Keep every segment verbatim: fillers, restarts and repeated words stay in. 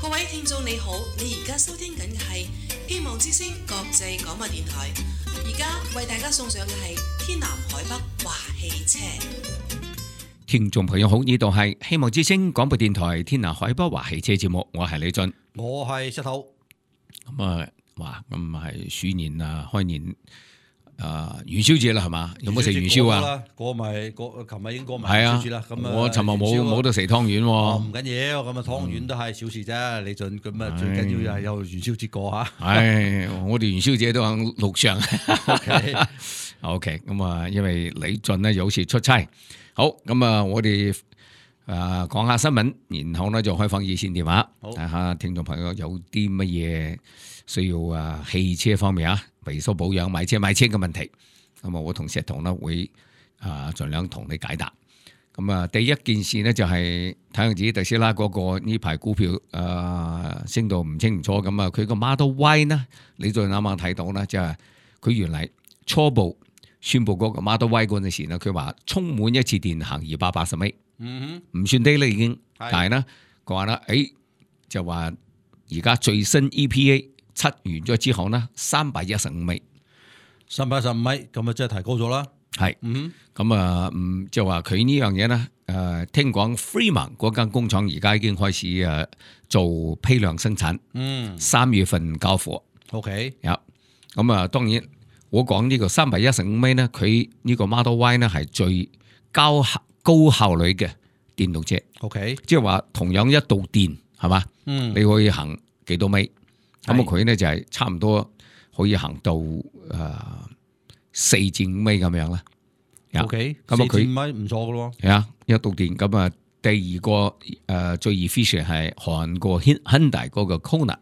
各位聽眾你好，你而家收聽緊嘅係希望之聲國際廣播電台，而家為大家送上嘅係天南海北華汽車。聽眾朋友好，呢度係希望之聲廣播電台天南海北華汽車節目，我係李俊，我係石頭。咁啊，哇，咁係鼠年啊，開年啊，元宵節啦，係嘛？有冇食元宵啊？過埋過，琴日已經過埋元宵節啦。咁啊，我尋日冇冇得食湯圓喎。唔緊要，咁啊湯圓都係小事啫。李俊，咁啊最緊要就係有元宵節過嚇。唉，我哋元宵節都喺路上。OK， OK， 咁啊，因為李俊咧有時出差。好，咁啊，我哋啊講下新聞，然後咧就開放熱線電話，睇下聽眾朋友有啲乜嘢需要啊汽車方面啊維修保養、買車買車嘅問題，咁啊我同石彤咧會啊盡量同你解答。咁啊第一件事咧就係睇樣子特斯拉嗰個呢排股票啊升到唔清唔楚，咁啊佢個 Model Y 呢，你再啱啱睇到咧，就係佢原嚟初步宣布嗰個 Model Y 嗰陣時咧，佢話充滿一次電行二百八十米，嗯哼，唔算低啦已經，但係咧佢話咧，誒就話而家最新 E P A 測完咗之後呢，三百一十五米，三百一十五米，咁啊真係提高咗啦。係，嗯，咁啊，嗯，就話佢呢樣嘢咧，誒，聽講 Fremont 嗰間工廠而家已經開始誒做批量生產，嗯，三月份交貨 ，OK， 有，咁啊，當然。我講呢個三百一十五米呢，佢呢個 Model Y 呢係最高高效率嘅電動車。OK， 即係話同樣一度電係嘛，嗯，你可以行幾多米？咁啊佢呢就係差唔多可以行到誒四至五米咁樣啦。OK， 咁啊佢四至五米唔錯噶咯。係啊，一度電咁啊，第二個誒、呃、最 efficient 係韓國 Hyundai 嗰個 Kona，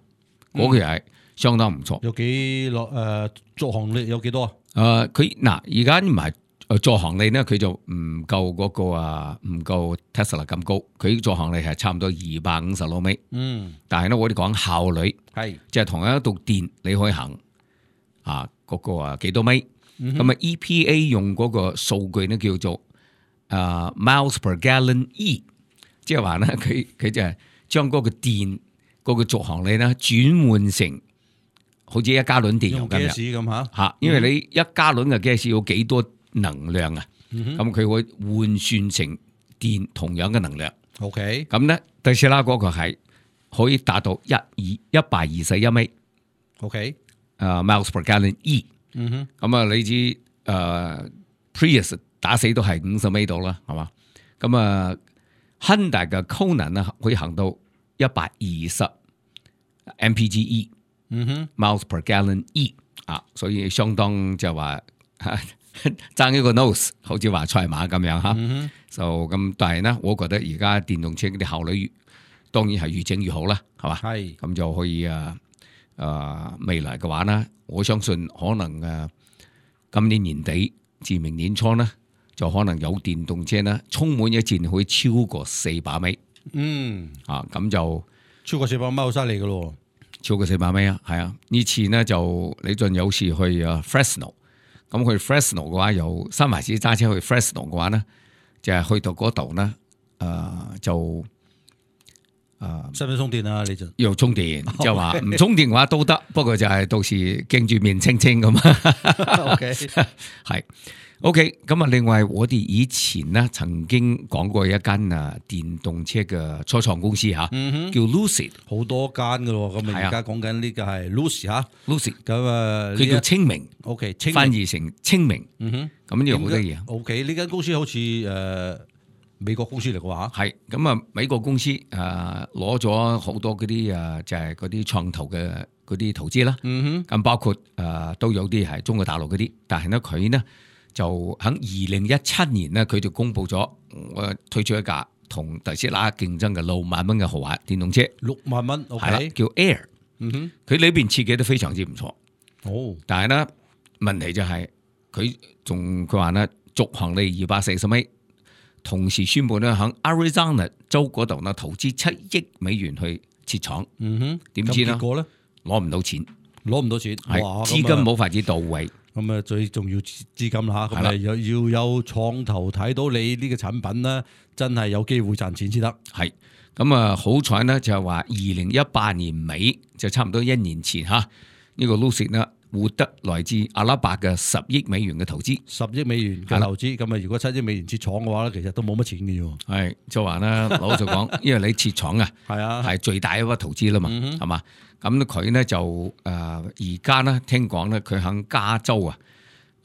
嗰個係。相當唔錯，有幾落誒續航力有幾多啊？誒佢嗱而家唔係誒續航力咧，佢就唔夠嗰個啊，唔夠 Tesla 咁高。佢續航力係差唔多二百五十六米。嗯，但係咧我哋講效率係，即係同一度電你可以行啊嗰個啊幾多米？咁、嗯、啊 E P A 用嗰個數據咧叫做啊 miles per gallon E， 即係話咧佢佢就係將嗰個電嗰個續航力咧轉換成。好似一加侖電油咁樣嚇，因為你一加侖嘅 gas 要幾多能量啊？咁佢、嗯、會換算成電同樣嘅能量。OK， 咁咧特斯拉嗰個係可以達到一二一百二十一米。OK， 誒、uh, miles per gallon E。嗯哼，咁啊你知誒、uh, Prius 打死都係五十米度啦，係嘛？咁啊 Hyundai 嘅 Kona 啊可以行到一百二十 M P G E。嗯哼 ，miles per gallon E 啊，所以相當就話爭一個 nose， 好似話賽馬咁樣吓。嗯、就咁，但係呢，我覺得而家電動車啲效率越當然係越整越好啦，係嘛？係咁就可以啊啊未來嘅話呢，我相信可能啊今年年底至明年初呢，就可能有電動車呢充滿一轉可以超過四百米。嗯，啊咁就超過四百米好犀利噶咯。超過四百米啊，係啊！呢次呢就李俊有時去啊 Fresno， 咁去 Fresno 嘅話，由三藩市揸車去 Fresno 嘅話呢，就係、是、去到嗰度呢，誒、呃、就誒使唔使充電啊？李俊要充電，即係話唔充電嘅話都得，不過就係到時驚住面青青咁啊。OK， 係 OK。咁啊，另外我哋以前呢曾經講過一間啊電動車嘅初創公司嚇，嗯、叫 Lucid， 好多間噶咯。咁啊，而家講緊呢個係 Lucid 嚇 ，Lucid 咁啊，佢叫清明 ，OK， 翻譯成清明。嗯哼，咁呢個好得意啊。OK， 呢間公司好似誒、呃、美國公司嚟嘅話，係咁啊，美國公司誒攞咗好多嗰啲誒就係嗰啲創投嘅嗰啲投資啦。嗯哼，咁包括誒、呃、都有啲係中國大陸嗰啲，但係呢佢呢。就喺二零一七年咧，佢就公布咗我推出一架同特斯拉競爭嘅六萬蚊嘅豪華電動車。六萬蚊，係啦，叫 Air。嗯哼，佢裏邊設計都非常之唔錯。哦，但係咧問題就係佢仲佢話咧續航力二百四十米，同時宣布咧喺 Arizona 州嗰度咧投資七億美元去設廠。嗯哼，點知咧？結果咧攞唔到錢，攞唔到錢，係資金冇法子到位。咁啊最重要資金啦嚇，咁啊又要有創投睇到你呢個產品咧，真係有機會賺錢先得。係咁啊，好彩呢就係話二零一八年尾就差唔多一年前嚇，呢、呢個 Lucid 呢獲得來自阿拉伯嘅十億美元嘅投資，十億美元嘅投資，咁啊如果七億美元設廠嘅話咧，其實都冇乜錢嘅喎。係就話咧，老實講，因為你設廠啊，係啊，係最大一筆投資啦嘛，係嘛、嗯？咁佢咧就誒而家咧聽講咧，佢喺加州啊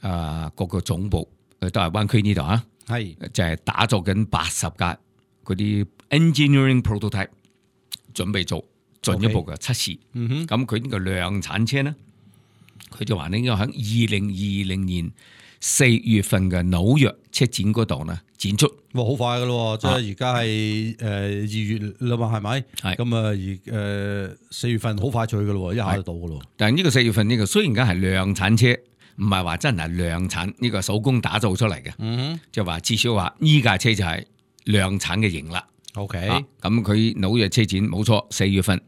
誒嗰個總部都係灣區呢度啊，係就係打造緊八十架嗰啲 engineering prototype， 準備做進一步嘅測試。咁佢呢個量產車咧，佢就話呢應該喺二零二零年四月份嘅紐約車展嗰度呢展出。哇，好快噶咯，即係而家係誒二月啦嘛，係咪？係咁啊，而誒四月份好快脆噶咯，一下就到噶咯。但係呢個四月份呢個雖然而家係量產車，唔係話真係量產，呢個手工打造出嚟嘅。嗯，就話至少話呢架車就係量產嘅型啦。OK，咁佢紐約車展冇錯，四月份。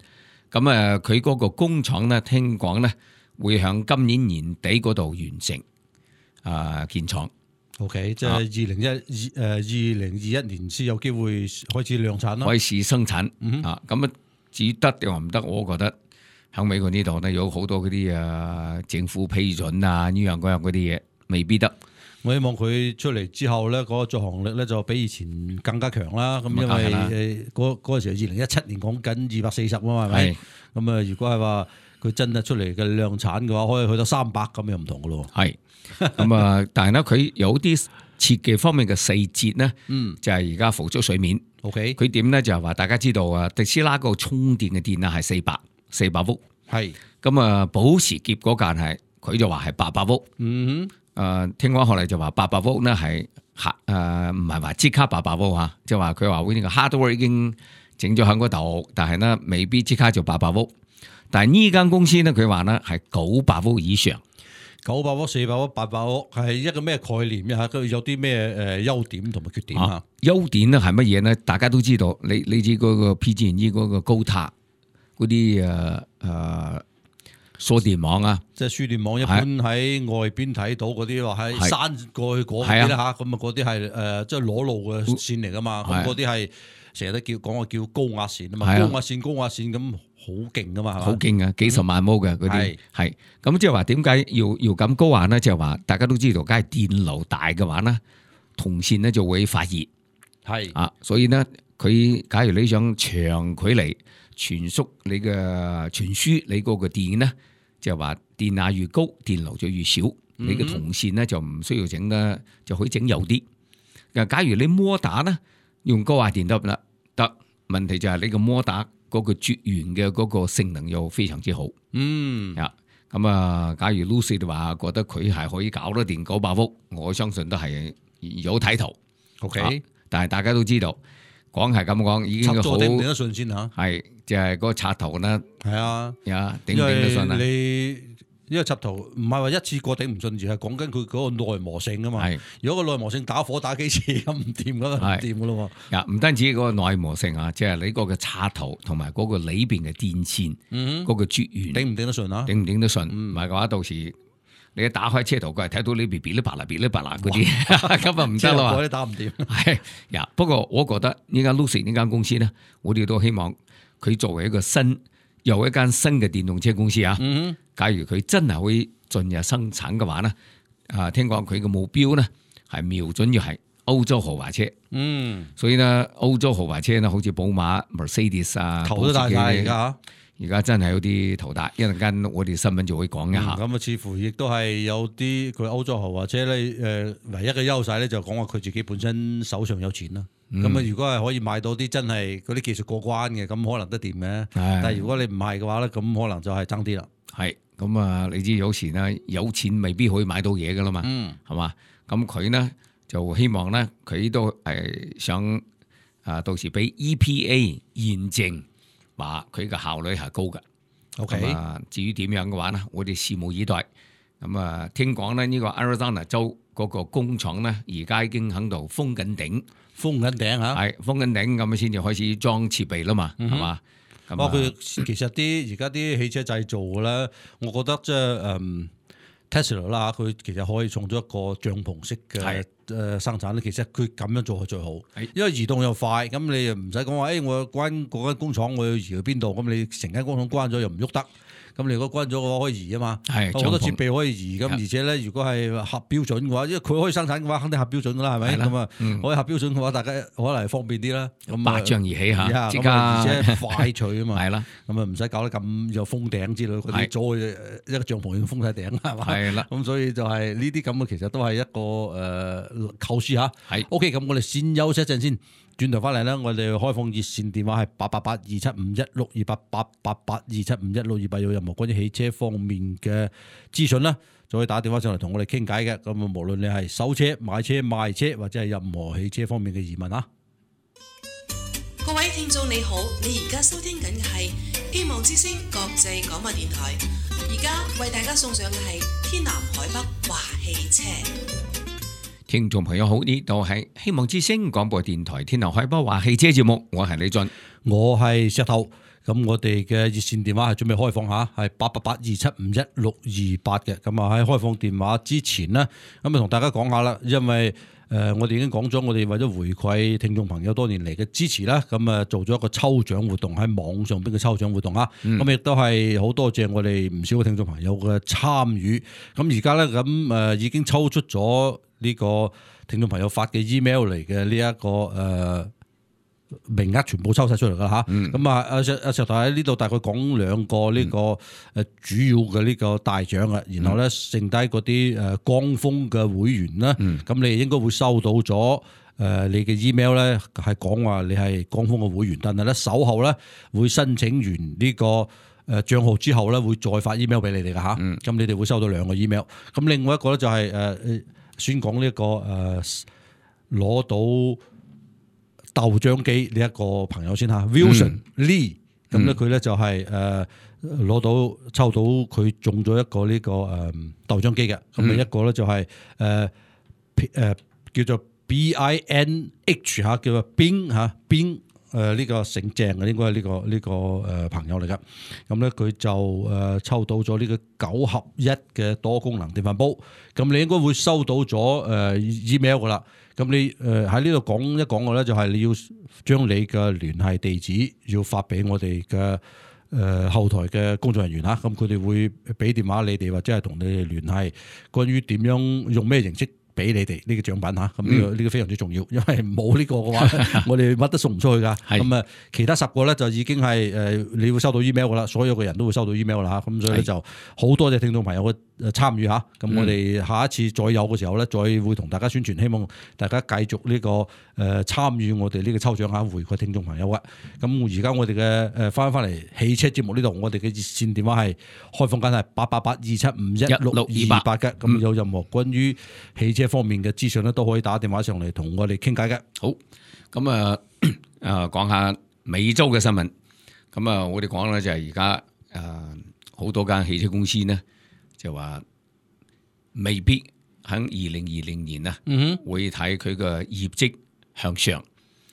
咁啊，佢嗰個工廠呢，聽講呢會響今年年底嗰度完成啊建廠。OK， 即係二零一二誒二零二一年先有機會開始量產啦，開始生產。嗯、啊，咁啊至於得定話唔得，我覺得喺美國呢度呢，有好多嗰啲啊政府批准啊呢樣嗰樣嗰啲嘢未必得。我希望佢出嚟之後咧，嗰、那個續航力咧就比以前更加強啦。咁因為誒嗰嗰陣時二零一七年講緊二百四十啊嘛，係咪？咁啊，如果係話佢真係出嚟嘅量產嘅話，可以去到三百咁又唔同噶咯。係咁啊，但係咧佢有啲設計方面嘅細節咧，嗯，就係而家浮出水面。OK，佢點咧就係話大家知道啊，特斯拉個充電嘅電啊係四百四百伏，係咁啊，保時捷嗰間係佢就話係八百伏。嗯哼。誒、呃，聽講後嚟就話八百伏咧係吓誒，唔係話即刻八百伏吓，即係話佢話會呢個 hardware 已經整咗喺嗰度，但係咧未必即刻就八百伏。但係呢間公司咧，佢話咧係九百伏以上，九百伏、四百伏、八百伏係一個咩概念啊？佢有啲咩誒優點同埋缺點啊？優點咧係乜嘢咧？大家都知道，你你知嗰個 P G and E 嗰個高塔嗰啲誒誒。呃輸電網啊，即係輸電網，一般喺外邊睇到嗰啲話喺山過去嗰邊啦吓，咁啊嗰啲係誒即係裸露嘅線嚟噶嘛，咁嗰啲係成日都叫講話叫高壓線啊嘛，高壓線高壓線咁好勁噶嘛，好勁啊，幾十萬伏嘅嗰啲係，咁即係話點解要要咁高壓咧？就係話大家都知道，梗係電流大嘅話咧，銅線咧就會發熱，係啊，所以咧佢假如你想長距離傳輸你嘅傳輸你嗰個電咧。就係話電壓越高，電流就越少。嗯、你嘅銅線咧就唔需要整得，就可以整幼啲。假如你摩打咧用高壓電得啦，得。問題就係你個摩打嗰個絕緣嘅嗰個性能又非常之好。嗯，啊，咁啊，假如 Lucid 話覺得佢係可以搞得掂九百伏，我相信都係有睇頭。OK，啊、但係大家都知道。講係咁講，已經好頂唔頂得順先吓，係就係、是、嗰個插頭咧，係啊，呀頂唔頂得順啊？你呢個插頭唔係話一次過頂唔順，而係講緊佢嗰個耐磨性啊嘛。係如果個耐磨性打火打幾次咁唔掂咁啊，唔掂噶咯。呀，唔單止嗰個耐磨性啊，即、就、係、是、你嗰個插頭同埋嗰個裏邊嘅電線，嗰、嗯、個絕緣頂唔頂得順啊？頂唔頂得順？唔係嘅話，到時你一打開車頭蓋，睇到呢邊嗶哩吧啦、嗶哩吧啦嗰啲，咁啊唔得啦，嗰啲打唔掂。係呀，不過我覺得呢間 Lucid 呢間公司咧，我哋都希望佢作為一個新又一間新嘅電動車公司啊。嗯、假如佢真係可以進入生產嘅話咧，啊，聽講佢嘅目標咧係瞄準要係歐洲豪華車。嗯，所以咧歐洲豪華車咧，好似寶馬、Mercedes 啊，頭都大晒而家。而家真係有啲頭大，一陣間我哋新聞就會講一下。咁啊、嗯，似乎亦都係有啲佢歐洲豪華車咧，誒，唯一嘅優勢咧就講話佢自己本身手上有錢啦。咁啊、嗯，如果係可以買到啲真係嗰啲技術過關嘅，咁可能得掂嘅。但係如果你唔係嘅話咧，咁可能就係爭啲啦。係，咁啊，你知有時咧有錢未必可以買到嘢噶啦嘛。嗯，係嘛？咁佢呢，就希望咧，佢都係想啊，到時俾 E P A 驗證。話佢嘅效率係高嘅，OK。至於點樣嘅話呢，我哋拭目以待。咁啊，聽講咧呢個 Arizona 州嗰個工廠咧，而家已經喺度封緊頂，封緊頂嚇，係封緊頂咁先至開始裝設備啦嘛，係嘛、嗯？咁啊，佢其實啲而家啲汽車製造咧，我覺得即係誒 Tesla 啦，佢其實可以創咗一個帳篷式嘅誒生產咧。其實佢咁樣做係最好，因為移動又快，咁你又唔使講話，誒我關嗰間工廠我要移去邊度，咁你成間工廠關咗又唔喐得。咁你如果關咗嘅話，可以移啊嘛，好多設備可以移。咁而且咧，如果係合標準嘅話，因為佢可以生產嘅話，肯定合標準噶啦，係咪？咁啊，可以合標準嘅話，大家可能係方便啲啦。咁百丈而起嚇，即刻而且快脆啊嘛。係啦，咁啊唔使搞得咁有封頂之類嗰啲，左一個帳篷要封晒頂係嘛？係啦。咁所以就係呢啲咁嘅，其實都係一個誒構思嚇。係 OK，咁我哋先休息一陣先。轉頭翻嚟咧，我哋開放熱線電話係八八八二七五一六二八八八八二七五一六二八，有任何關於汽車方面嘅資訊啦，就可以打電話上嚟同我哋傾偈嘅。咁啊，無論你係收車、買車、賣車或者係任何汽車方面嘅疑問啊。各位聽眾你好，你而家收聽緊嘅係希望之聲國際廣播電台，而家為大家送上嘅係天南海北話汽車。聽眾朋友好，呢度係希望之聲廣播電台天南海北話汽車節目，我係李俊，我係石頭。咁我哋嘅熱線電話係準備開放下，係八八八二七五一六二八嘅。咁啊喺開放電話之前呢，咁啊同大家講下啦，因為誒、呃、我哋已經講咗，我哋為咗回饋聽眾朋友多年嚟嘅支持啦，咁啊做咗一個抽獎活動喺網上邊嘅抽獎活動啊，咁亦都係好多謝我哋唔少嘅聽眾朋友嘅參與。咁而家咧咁誒已經抽出咗呢個聽眾朋友發嘅 email 嚟嘅呢一個誒、呃、名額全部抽晒出嚟噶吓，咁啊阿石阿石頭喺呢度大概講兩個呢個誒主要嘅呢個大獎啊，然後咧剩低嗰啲誒光峰嘅會員啦，咁、嗯、你應該會收到咗誒你嘅 email 咧係講話你係光峰嘅會員，但係咧稍後咧會申請完呢個誒賬號之後咧會再發 email 俾你哋噶吓，咁、嗯、你哋會收到兩個 email， 咁另外一個咧就係誒先講呢一個誒攞到豆漿機呢一個朋友先吓 Wilson Lee，咁咧佢咧就係誒攞到抽到佢中咗一個呢個誒豆漿機嘅，咁啊一個咧就係誒誒叫做 B I N H 吓，叫做冰吓冰。誒呢個姓鄭嘅應該係呢個呢個誒朋友嚟噶，咁咧佢就誒抽到咗呢個九合一嘅多功能電飯煲，咁你應該會收到咗誒 email 噶啦，咁你誒喺呢度講一講嘅咧就係你要將你嘅聯繫地址要發俾我哋嘅誒後台嘅工作人員嚇，咁佢哋會俾電話你哋或者係同你哋聯繫，關於點樣用咩形式俾你哋呢個獎品嚇，咁呢個呢個非常之重要，因為冇呢個嘅話，我哋乜都送唔出去噶。咁啊，其他十個咧就已經係誒，你會收到 email 噶啦，所有嘅人都會收到 email 啦嚇。咁所以咧就好多謝聽眾朋友嘅誒參與嚇。咁我哋下一次再有嘅時候咧，再會同大家宣傳，希望大家繼續呢個誒參與我哋呢個抽獎嚇，回饋聽眾朋友嘅。咁而家我哋嘅誒翻翻嚟汽車節目呢度，我哋嘅熱線電話係開放緊係八八八二七五一六二八嘅。咁有任何關於汽車方面嘅資訊咧，都可以打電話上嚟同我哋傾偈嘅。好，咁啊，誒講下美洲嘅新聞。咁啊，我哋講咧就係而家誒好多間汽車公司呢，就話未必喺二零二零年啊，嗯、會睇佢嘅業績向上。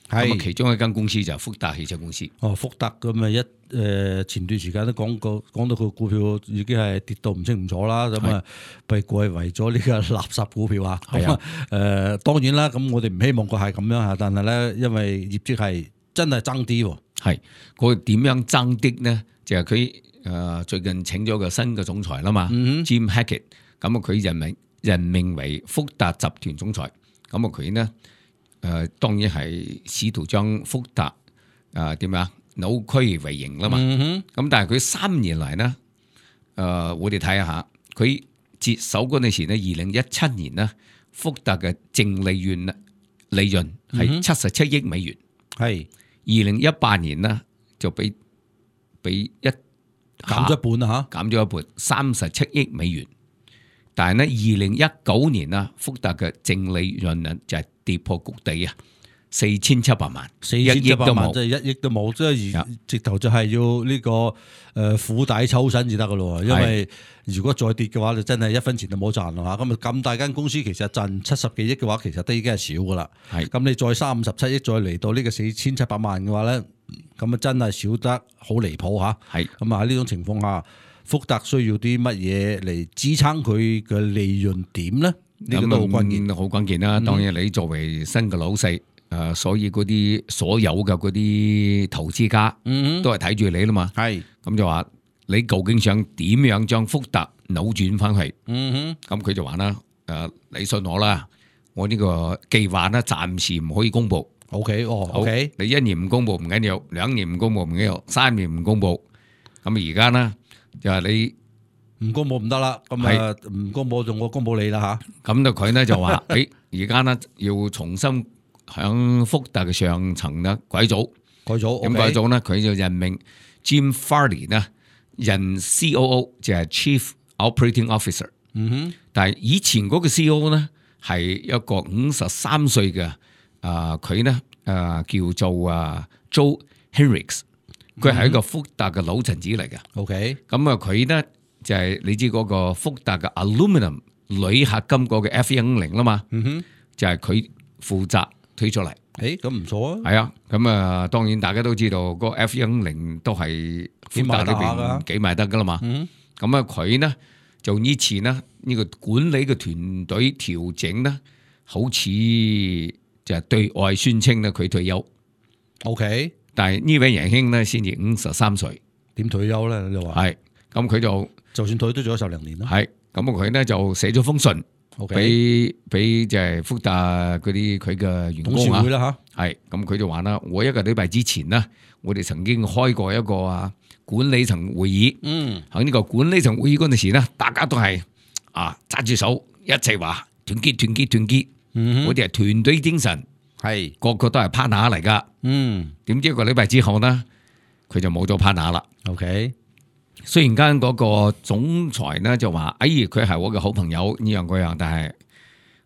咁啊，其中一間公司就係福特汽車公司。哦，福特咁啊一誒前段時間都講過，講到佢股票已經係跌到唔清唔楚啦。咁啊，被歸為咗呢個垃圾股票啊。係啊。誒，當然啦，咁我哋唔希望佢係咁樣嚇，但係咧，因為業績係真係爭啲喎。係，佢點樣爭啲呢？就係佢誒最近請咗個新嘅總裁啦嘛、嗯、，Jim Hackett。咁啊，佢任命任命為福特集團總裁。咁啊，佢呢？誒、呃、當然係試圖將福特誒點啊扭虧為盈啦嘛，咁、嗯、但係佢三年嚟呢，誒、呃、我哋睇下佢接手嗰陣時呢，二零一七年呢，福特嘅淨利潤利潤係七十七億美元，係二零一八年呢就俾俾一減咗一半啦嚇，減咗一半三十七億美元，但係呢，二零一九年啊，福特嘅淨利潤呢就係跌破谷底啊，四千七百萬，四千七百萬即係一億都冇，即係而直頭就係要呢個誒釜底抽薪至得噶咯。因為如果再跌嘅話，就真係一分錢都冇賺啦。咁啊咁大間公司其實賺七十幾億嘅話，其實都已經係少噶啦。係咁你再三十七億再嚟到呢個四千七百萬嘅話咧，咁啊真係少得好離譜吓。係咁啊喺呢種情況下，福特需要啲乜嘢嚟支撐佢嘅利潤點咧？呢、這個都好關鍵，好關鍵啦。當然你作為新嘅老細，誒、呃，所以嗰啲所有嘅嗰啲投資家，嗯，都係睇住你啦嘛。係咁就話你究竟想點樣將福特扭轉翻去？嗯哼，咁佢就話啦，誒、呃，你信我啦，我呢個計劃咧暫時唔可以公布。O K， 哦 ，O K， 你一年唔公布唔緊要，兩年唔公布唔緊要，三年唔公布，咁而家咧就係你。唔公布唔得啦，咁啊唔公布就我公布你啦吓。咁就佢咧就話，誒而家咧要重新響福特嘅上層咧改組，改組，咁改組咧佢就任命 Jim Farley 咧任 C O O， 就係 Chief Operating Officer。嗯哼，但係以前嗰個 C O O 咧係一個五十三歲嘅，啊佢咧啊叫做啊 Joe Henricks， 佢係一個福特嘅老臣子嚟嘅。OK， 咁啊佢咧。就係你知嗰個福特嘅 Aluminum 鋁合金嗰個 F 一五零啦嘛，嗯哼，就係佢負責推出嚟。誒，咁唔錯啊。係啊，咁啊，當然大家都知道嗰個 F 一五零都係福特裏邊幾賣得噶啦嘛。咁啊，佢呢就以前呢呢個管理嘅團隊調整呢，好似就係對外宣稱咧佢退休。OK， 但係呢位仁兄呢先至五十三歲，點退休咧？你話係，咁佢就。就算退都做咗十零年啦，係咁佢咧就寫咗封信，俾俾就係福特嗰啲佢嘅員工啊，係咁佢就話啦，我一個禮拜之前呢，我哋曾經開過一個啊管理層會議，嗯，喺呢個管理層會議嗰陣時呢，大家都係啊揸住手一齊話團結團結團結，嗯，我哋係團隊精神，係個個都係 partner 嚟噶，嗯，點知一個禮拜之後呢，佢就冇咗 partner 啦 ，OK。雖然間嗰個總裁咧就話，哎，佢係我嘅好朋友呢樣嗰樣，但係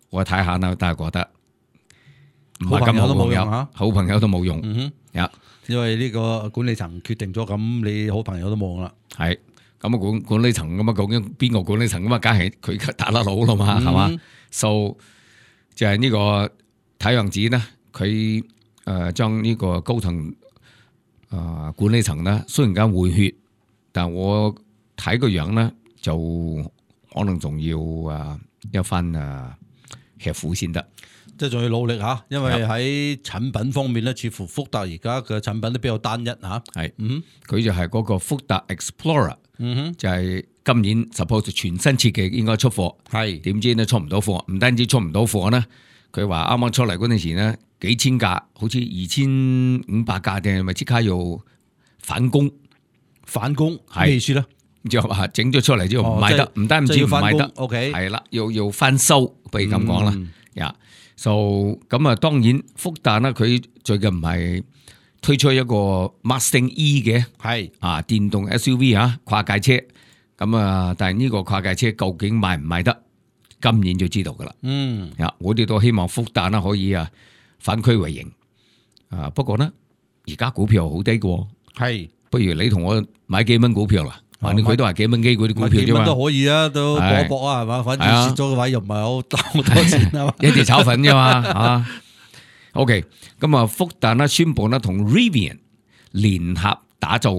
我睇下啦，但係覺得唔係咁好朋友，好朋友都冇用。嗯哼，因為呢個管理層決定咗，咁你好朋友都冇用啦。係咁啊，管管理層咁啊，究竟邊個管理層咁啊？梗係佢打得佬啦嘛，係嘛？So 就係呢個睇樣子咧，佢誒將呢個高層誒管理層咧，雖然間換血。但我睇個樣咧，就可能仲要啊一番啊吃苦先得，即係仲要努力吓，因為喺產品方面咧，似乎福特而家嘅產品都比較單一吓。係，嗯，佢就係嗰個福特 Explorer， 嗯哼，就係今年 suppose 全新設計應該出貨，係，點知咧出唔到貨，唔單止出唔到貨咧，佢話啱啱出嚟嗰陣時咧，幾千架，好似二千五百架定係咪即刻要返工？返工咩意思咧？就話整咗出嚟之後唔賣得，唔、哦、單止唔賣得 ，OK， 係啦，要要翻收，不如咁講啦。呀、嗯，就咁啊，當然福特呢，佢最近唔係推出一個 Mustang E 嘅，係啊，電動 S U V 啊，跨界車。咁啊，但係呢個跨界車究竟賣唔賣得，今年就知道噶啦。嗯，呀，我哋都希望福特呢可以啊反區為盈。啊，不過呢，而家股票好低嘅，係。不如你同我買幾蚊股票啦，反正佢都係幾蚊機嗰啲股票啫嘛，幾蚊都可以啊，都搏一搏啊，係嘛，反正蝕咗嘅話又唔係好好多錢啊嘛，一碟炒粉啫嘛，啊 ，OK， 咁啊，福特呢宣布呢同 Rivian 聯合打造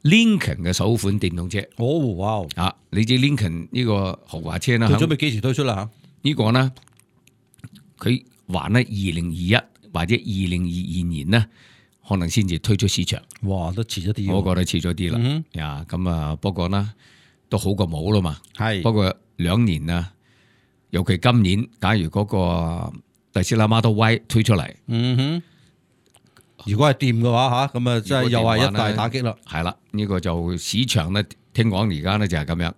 Lincoln 嘅首款電動車。哦，哇！啊，你知 Lincoln 呢個豪華車呢，佢準備幾時推出啦？吓，呢個呢，佢話呢二零二一或者二零二二年呢。可能先至推出市場，哇！都遲咗啲，我覺得遲咗啲啦。呀，咁啊，不過呢都好過冇啦嘛。係，不過兩年啊，尤其今年，假如嗰個特斯拉 Model Y 推出嚟，嗯哼，如果係掂嘅話吓，咁啊，真係又係一大打擊啦。係啦，呢、這個就市場咧，聽講而家咧就係咁樣，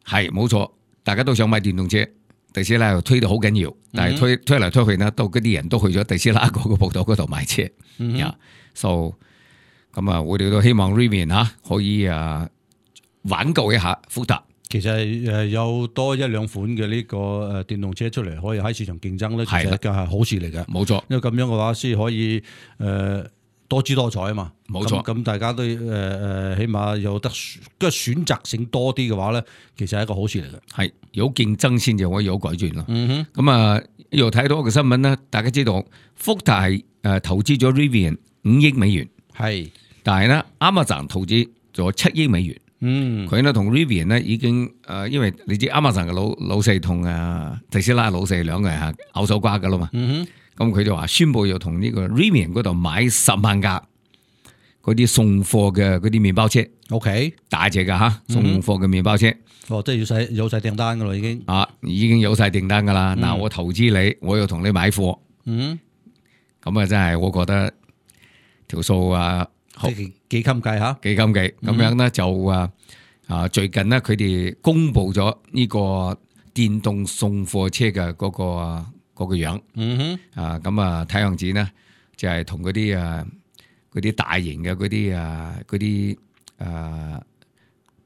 係冇錯，大家都想買電動車。特斯拉又推到好緊要，但係推推嚟推去呢，到嗰啲人都去咗特斯拉嗰個鋪頭嗰度買車。嗯呀，so 咁啊，我哋都希望 Rivian 吓可以啊挽救一下福特。其實誒有多一兩款嘅呢個誒電動車出嚟，可以喺市場競爭咧，其實一件係好事嚟嘅。冇錯，因為咁樣嘅話先可以誒。呃多姿多彩啊嘛，冇錯。咁大家都誒誒，起碼有得即係選擇性多啲嘅話咧，其實係一個好事嚟嘅。係有競爭先至可以有改轉咯。嗯哼。咁啊，又睇到一個新聞啦，大家知道福特係誒投資咗 Rivian 五億美元，係，但係咧 Amazon 投資咗七億美元。嗯，佢呢同 Rivian 呢已經誒、呃，因為你知 Amazon 嘅老老細同啊特斯拉老細兩個人係拗手瓜噶啦嘛。嗯咁佢就話宣布要同呢個 Rivian 嗰度買十萬架嗰啲送貨嘅嗰啲麵包車。OK，大隻噶吓，送貨嘅麵包車。嗯、哦，即係要晒有晒訂單噶啦，已經。啊，已經有晒訂單噶啦。嗱、嗯，我投資你，我要同你買貨。嗯，咁啊，真係我覺得條數啊，幾幾襟計吓，幾襟計。咁樣咧就啊啊，最近呢，佢哋公布咗呢個電動送貨車嘅嗰、嗰個嗰、嗰個樣。嗯哼。啊，咁啊睇樣子呢，就係同嗰啲啊嗰啲大型嘅嗰啲啊嗰啲誒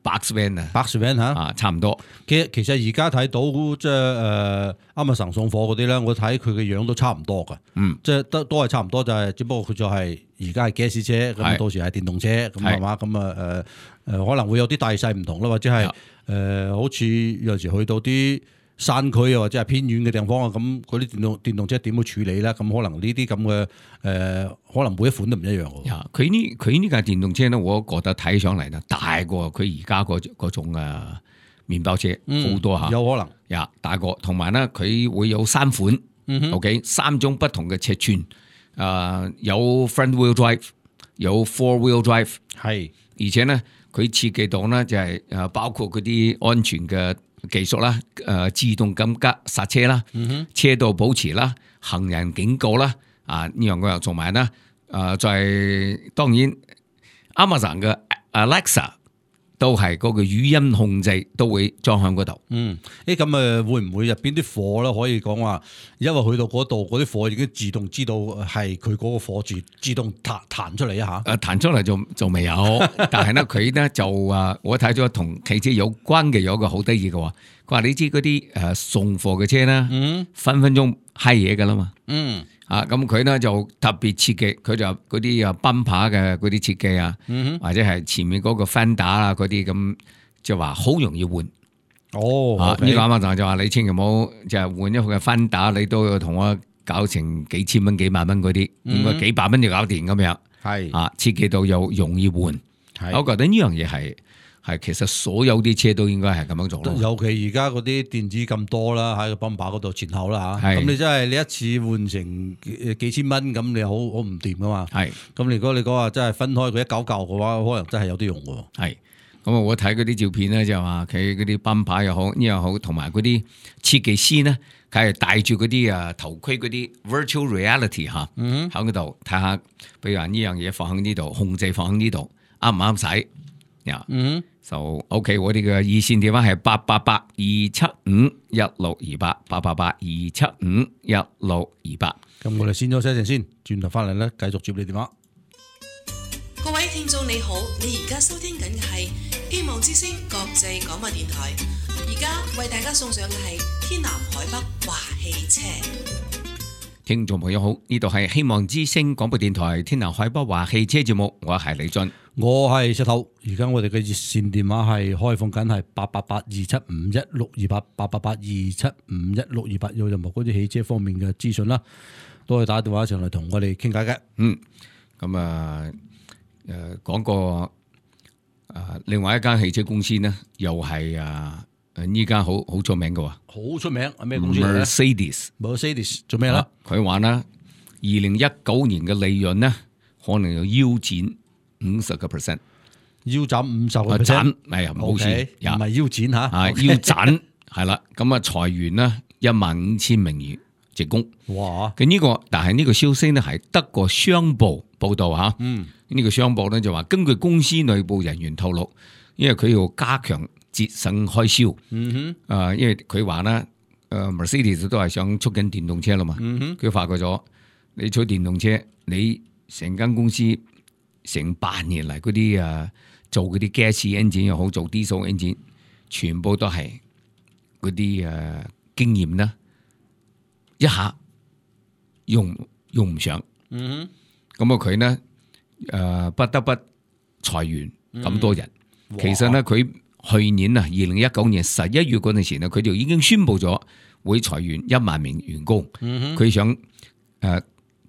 box van 啊 box van 吓啊，差唔多。其實其實而家睇到即係誒 Amazon 送貨嗰啲咧，我睇佢嘅樣都差唔多噶。嗯，即係都都係差唔多，就係只不過佢就係而家係 gas 車，咁到時係電動車咁係嘛，咁啊誒誒可能會有啲大細唔同啦，或者係誒、呃、好似有陣時去到啲山區啊，或者係偏遠嘅地方啊，咁嗰啲電動電動車點去處理咧？咁可能呢啲咁嘅誒，可能每一款都唔一樣嘅。佢呢佢呢架電動車咧，我覺得睇上嚟咧大過佢而家嗰嗰種啊麵包車好、嗯、多嚇，有可能呀大過，同埋咧佢會有三款、嗯、，OK 三種不同嘅尺寸，誒、呃、有 front wheel drive， 有 four wheel drive， 係，而且咧佢設計到咧就係誒包括嗰啲安全嘅技術啦，誒自動緊急剎車啦，嗯、車道保持啦，行人警告啦，啊呢樣嗰樣做埋啦，誒再當然 Amazon 嘅 Alexa 都係嗰個語音控制都會裝喺嗰度。嗯，誒咁誒會唔會入邊啲貨咧可以講話，因為去到嗰度嗰啲貨已經自動知道係佢嗰個貨自自動彈彈出嚟一下？誒彈出嚟就就未有，但係咧佢咧就啊，我睇咗同汽車有關嘅有一個好得意嘅話，佢話你知嗰啲誒送貨嘅車咧，嗯、分分鐘閪嘢噶啦嘛。嗯。啊，咁佢咧就特別設計，佢就嗰啲啊奔跑嘅嗰啲設計啊，嗯、或者係前面嗰個 fender 啊嗰啲咁，就話好容易換。哦，啊呢個啱啱就話你千祈唔好就係換一個嘅 fender，你都要同我搞成幾千蚊、幾萬蚊嗰啲，應該幾百蚊就搞掂咁樣。係啊，設計到又容易換。我覺得呢樣嘢係。係，其實所有啲車都應該係咁樣做咯。尤其而家嗰啲電子咁多啦，喺個泵把嗰度前後啦嚇。咁你真係你一次換成幾千蚊，咁你好好唔掂噶嘛。係。咁如果你講話真係分開佢一嚿嚿嘅話，可能真係有啲用喎。係。咁啊，我睇嗰啲照片咧，就話佢嗰啲泵把又好，呢又好，同埋嗰啲設計師咧，佢係戴住嗰啲啊頭盔嗰啲 virtual reality 嚇，喺嗰度睇下，比如話呢樣嘢放喺呢度，控制放喺呢度，啱唔啱使？呀，嗯，就 OK，我哋嘅熱線電話係八八八二七五一六二八，八八八二七五一六二八。咁我哋先休息一陣先，轉頭翻嚟咧，繼續接你電話。各位聽眾你好，你而家收聽緊嘅係希望之聲國際廣播電台，而家為大家送上嘅係天南海北華汽車。聽眾朋友好，呢度係希望之聲廣播電台天南海北華汽車節目，我係李俊。我係石頭，而家我哋嘅熱線電話係開放緊，係八八八二七五一六二八，八八八二七五一六二八，有任何嗰啲汽車方面嘅資訊啦，都可以打電話上嚟同我哋傾偈嘅。嗯，咁啊，誒，講個誒，另外一間汽車公司呢，又係啊，誒，呢間好好出名嘅喎，好出名，係咩公司嚟咧 ？Mercedes，Mercedes 做咩啦？佢話啦，二零一九年嘅利潤呢，可能要腰斬五十個 percent， 腰斬五十個 percent， 係啊，冇事，唔係腰斬吓，啊腰斬係啦，咁啊裁員啦一萬五千名員職工，哇！咁呢個，但係呢個消息呢係德國商報報道吓，嗯，呢個商報咧就話根據公司內部人員透露，因為佢要加強節省開銷，嗯哼，啊，因為佢話咧，誒 Mercedes 都係想促進電動車啦嘛，嗯哼，佢發覺咗你做電動車，你成間公司。成百年嚟嗰啲啊，做嗰啲 gas engine 又好，做 diesel engine，全部都係嗰啲誒經驗啦，一下用用唔上。嗯哼，咁啊佢呢誒不得不裁員咁多人。嗯、其實呢，佢去年啊，二零一九年十一月嗰陣時呢，佢就已經宣布咗會裁員一萬名員工。嗯哼，佢想誒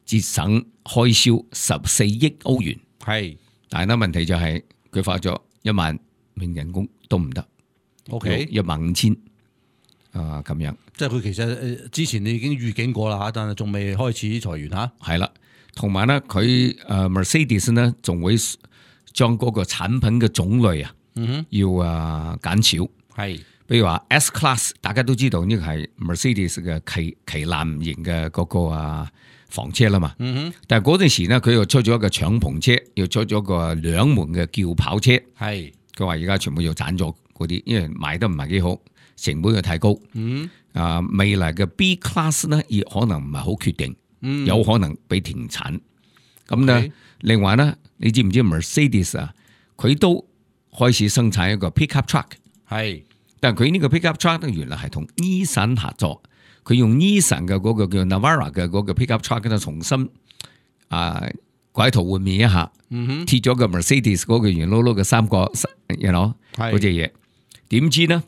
節省開銷十四億歐元。係，但係咧問題就係佢發咗一萬名人工都唔得。OK，一萬五千啊咁樣。即係佢其實之前你已經預警過啦嚇，但係仲未開始裁員嚇。係啦，同埋咧佢誒 Mercedes 咧仲會將嗰個產品嘅種類啊，嗯哼，要啊減少。係，比如話 S Class， 大家都知道呢個係 Mercedes 嘅旗旗艦型嘅嗰個啊房車啦嘛。嗯哼，但係嗰陣時咧，佢又出咗一個敞篷車，又出咗個兩門嘅轎跑車。係，佢話而家全部要斬咗嗰啲，因為賣得唔係幾好，成本又太高。嗯，啊未來嘅 B Class 咧，亦可能唔係好決定，嗯、有可能被停產。咁咧，另外咧，你知唔知 Mercedes 啊？佢都開始生產一個 pickup truck。係，但係佢呢個 pickup truck 咧，原來係同 Nissan 合作，佢用 Nissan 嘅嗰個叫 Navara 嘅嗰個 pickup truck 咧，重新啊改頭換面一下，嗯、貼咗個 Mercedes 嗰個圓碌碌嘅三角，you know 嗰隻嘢。點知呢？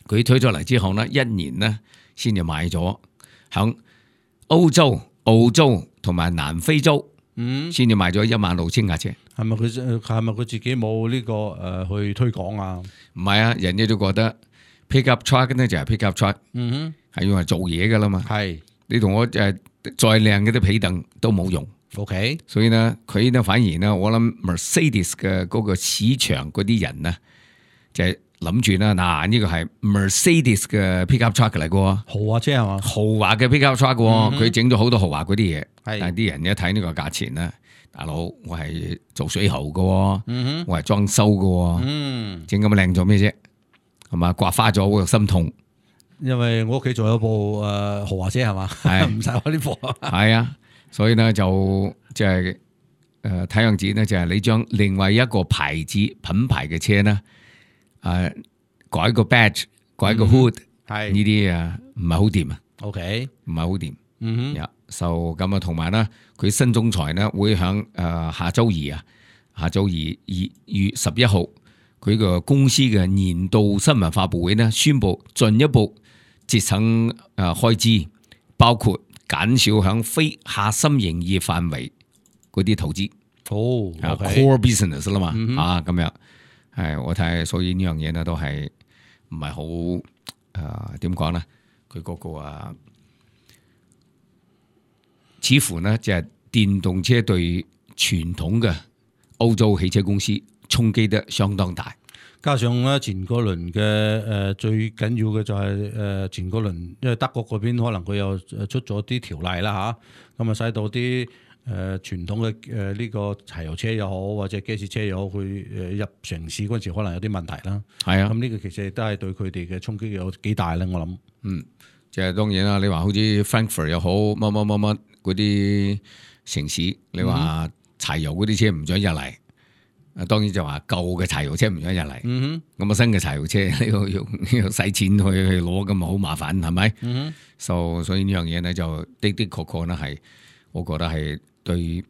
佢推咗嚟之後呢，一年呢先至賣咗，響歐洲、澳洲同埋南非洲，嗯，先至賣咗一萬六千架車。係咪佢係咪佢自己冇呢、這個誒、呃、去推廣啊？唔係啊，人哋都覺得 pickup truck 呢就係 pickup truck，嗯哼，係用嚟做嘢噶啦嘛。係你同我誒再靚嗰啲皮凳都冇用。OK，所以呢，佢呢反而呢，我諗 Mercedes 嘅嗰個市場嗰啲人呢，就係諗住啦，嗱呢個係 Mercedes 嘅 pickup truck 嚟嘅，豪華車係嘛？豪華嘅 pickup truck，佢整咗好多豪華嗰啲嘢，但係啲人一睇呢個價錢咧。大佬，我係做水喉嘅，嗯、我係裝修嘅，整咁靚做咩啫？係嘛，刮花咗我心痛。因為我屋企仲有部誒、呃、豪華車係嘛，唔使我啲貨。係啊，所以咧就即係誒睇樣子咧，就係、是、你將另外一個牌子品牌嘅車咧，誒、呃、改個 badge， 改個 hood， 係呢啲啊唔係好掂啊。OK， 唔係好掂。嗯哼。就咁啊，同埋咧，佢新總裁咧會響誒下周二啊，下周二二月十一號，佢個公司嘅年度新聞發佈會咧，宣布進一步節省誒開支，包括減少響非核心營業範圍嗰啲投資。哦、okay. ，core business 啦嘛，嗯、啊咁樣，係我睇，所以呢樣嘢咧都係唔係好誒點講咧？佢嗰個啊。似乎呢，就係電動車對傳統嘅歐洲汽車公司衝擊得相當大，加上咧前嗰輪嘅誒最緊要嘅就係誒前嗰輪，因為德國嗰邊可能佢又出咗啲條例啦嚇，咁啊使到啲誒傳統嘅誒呢個柴油車又好或者 gas 車又好，佢誒入城市嗰陣時可能有啲問題啦。係啊，咁呢個其實都係對佢哋嘅衝擊有幾大咧，我諗。嗯，即係當然啦，你話好似 Frankfurt 又好，乜乜乜乜。嗰啲城市，你話柴油嗰啲車唔准入嚟，啊當然就話舊嘅柴油車唔准入嚟，咁、嗯、啊新嘅柴油車呢個要要使錢去去攞，咁啊好麻煩，係咪？嗯、so, 所以呢樣嘢咧就的的確確咧係，我覺得係對誒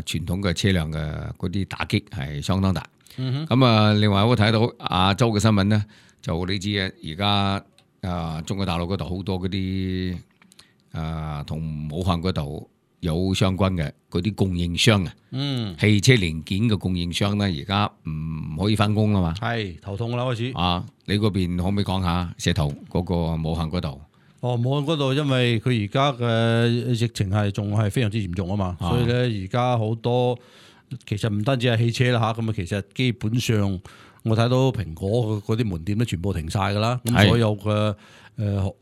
傳統嘅車輛嘅嗰啲打擊係相當大。咁、嗯、啊，另外我睇到亞洲嘅新聞咧，就你知啊，而家啊中國大陸嗰度好多嗰啲。啊，同武漢嗰度有相關嘅嗰啲供應商啊，嗯，汽車零件嘅供應商咧，而家唔可以翻工啦嘛，係頭痛啦開始。啊，你嗰邊可唔可以講下石頭嗰個武漢嗰度？哦，武漢嗰度因為佢而家嘅疫情係仲係非常之嚴重啊嘛，啊所以咧而家好多其實唔單止係汽車啦吓，咁啊其實基本上我睇到蘋果嗰啲門店都全部停晒噶啦，咁所有嘅誒。呃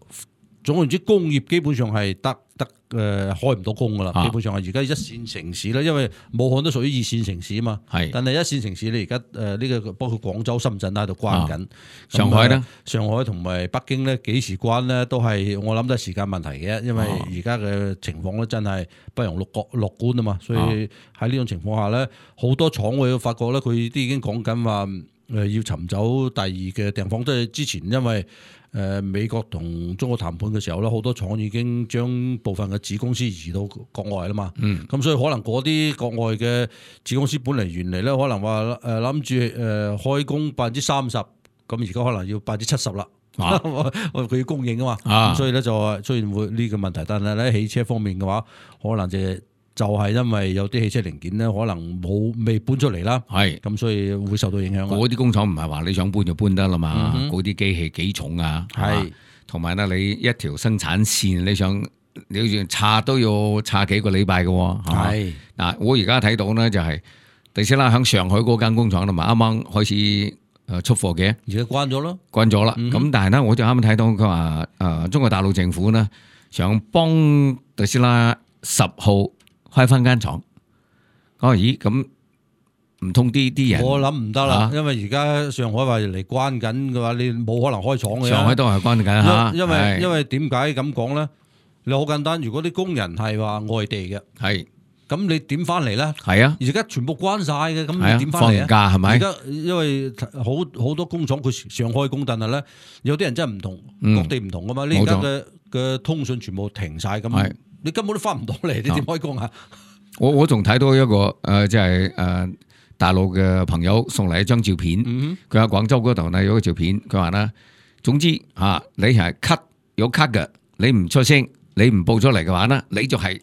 總言之，工業基本上係得得誒、呃、開唔到工噶啦，啊、基本上係而家一線城市啦，因為武漢都屬於二線城市啊嘛。係，但係一線城市你而家誒呢個包括廣州、深圳都喺度關緊、啊。上海咧，上海同埋北京咧幾時關咧都係我諗都係時間問題嘅，因為而家嘅情況咧真係不容樂樂觀啊嘛。所以喺呢種情況下咧，好多廠我發覺咧，佢啲已經講緊話誒要尋找第二嘅地方，即係之前因為。誒、呃、美國同中國談判嘅時候咧，好多廠已經將部分嘅子公司移到國外啦嘛。嗯，咁所以可能嗰啲國外嘅子公司本嚟原嚟咧，可能話誒諗住誒開工百分之三十，咁而家可能要百分之七十啦。啊，佢要供應啊嘛。啊，所以咧就出現會呢個問題。但係咧汽車方面嘅話，可能就暫就係因為有啲汽車零件咧，可能冇未搬出嚟啦，係咁所以會受到影響。嗰啲工廠唔係話你想搬就搬得啦嘛，嗯哼嗰啲機器幾重啊，係同埋咧你一條生產線你想你好似拆都要拆幾個禮拜嘅喎，係嗱我而家睇到咧就係特斯拉喺上海嗰間工廠啦嘛，啱啱開始誒出貨嘅，而家關咗咯，關咗啦。嗯咁但係咧我就啱啱睇到佢話誒中國大陸政府咧想幫特斯拉十號開翻間廠，我話咦咁唔通啲啲人？我諗唔得啦，啊因為而家上海話嚟關緊嘅話，你冇可能開廠嘅。上海都係關緊嚇，因為係因為點解咁講咧？你好簡單，如果啲工人係話外地嘅，係咁你點翻嚟咧？係啊，而家全部關晒嘅，咁係啊你點翻嚟放假係咪而家因為好好多工廠佢上開工，但係咧有啲人真係唔同，嗯各地唔同噶嘛。你而家嘅嘅通訊全部停晒，咁係你根本都翻唔到嚟，你點開工啊？我我仲睇到一個誒，即係誒大陸嘅朋友送嚟一張照片，嗯佢喺廣州嗰度呢有個照片，佢話咧，總之嚇你係 cut 有 cut 嘅，你唔出聲，你唔報出嚟嘅話呢，你就係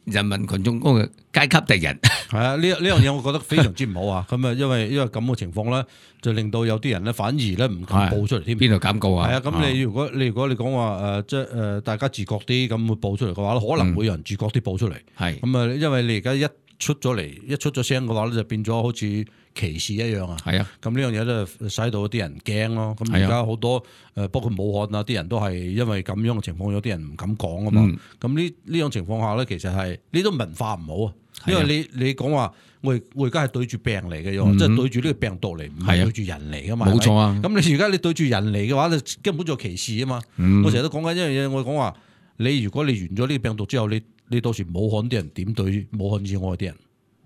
人民群眾嗰個階級敵人。係啊，呢呢樣嘢我覺得非常之唔好啊！咁啊，因為因為咁嘅情況咧，就令到有啲人咧反而咧唔敢報出嚟添。邊度敢告啊？係啊，咁你如果你如果你講話誒，即係誒大家自覺啲咁會報出嚟嘅話，可能會有人自覺啲報出嚟。係咁啊，因為你而家一出咗嚟，一出咗聲嘅話咧，就變咗好似歧視一樣啊。係啊，咁呢樣嘢咧，使到啲人驚咯。咁而家好多誒，包括武漢啊，啲人都係因為咁樣嘅情況，有啲人唔敢講啊嘛。咁呢呢種情況下咧，其實係呢種文化唔好啊。因為你你講話我我而家係對住病嚟嘅，即係對住呢個病毒嚟，唔係對住人嚟噶嘛。冇錯啊。咁你而家你對住人嚟嘅話，你根本就歧視啊嘛。我成日都講緊一樣嘢，我講話你如果你完咗呢個病毒之後，你你到時武漢啲人點對武漢以外啲人？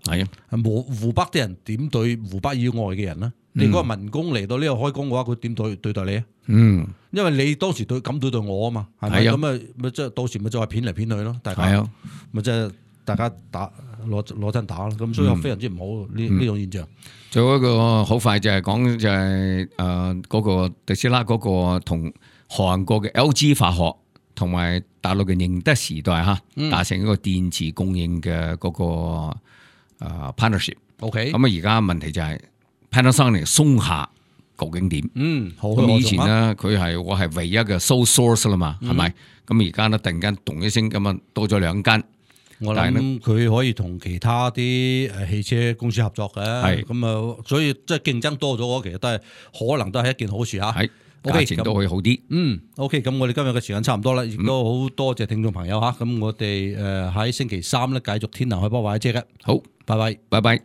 係啊，湖湖北啲人點對湖北以外嘅人咧？你嗰個民工嚟到呢度開工嘅話，佢點對對待你啊？嗯，因為你當時對咁對待我啊嘛，係咪咁啊？咪即係到時咪就係騙嚟騙去咯，大家咪即係大家打攞攞真打咯。咁所以非常之唔好呢呢種現象。仲有一個好快就係講就係誒嗰個特斯拉嗰個同韓國嘅 L G 化學同埋大陸嘅寧德時代嚇達成一個電池供應嘅嗰個。啊 partnership，OK，咁啊而家問題就係 Panasonic 松下究竟點？嗯，好。咁以前咧，佢係我係唯一嘅 sole source 啦嘛，係咪？咁而家咧突然間咚一聲咁啊，多咗兩間。我諗佢可以同其他啲誒汽車公司合作嘅，係咁啊，所以即係競爭多咗，其實都係可能都係一件好事嚇。係。價錢都會好啲。嗯 ，OK，咁我哋今日嘅時間差唔多啦，亦都好多謝聽眾朋友嚇。咁我哋誒喺星期三咧繼續天南海北話車嘅。好，拜拜，拜拜。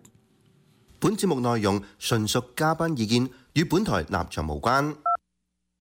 本節目內容純屬嘉賓意見，與本台立場無關。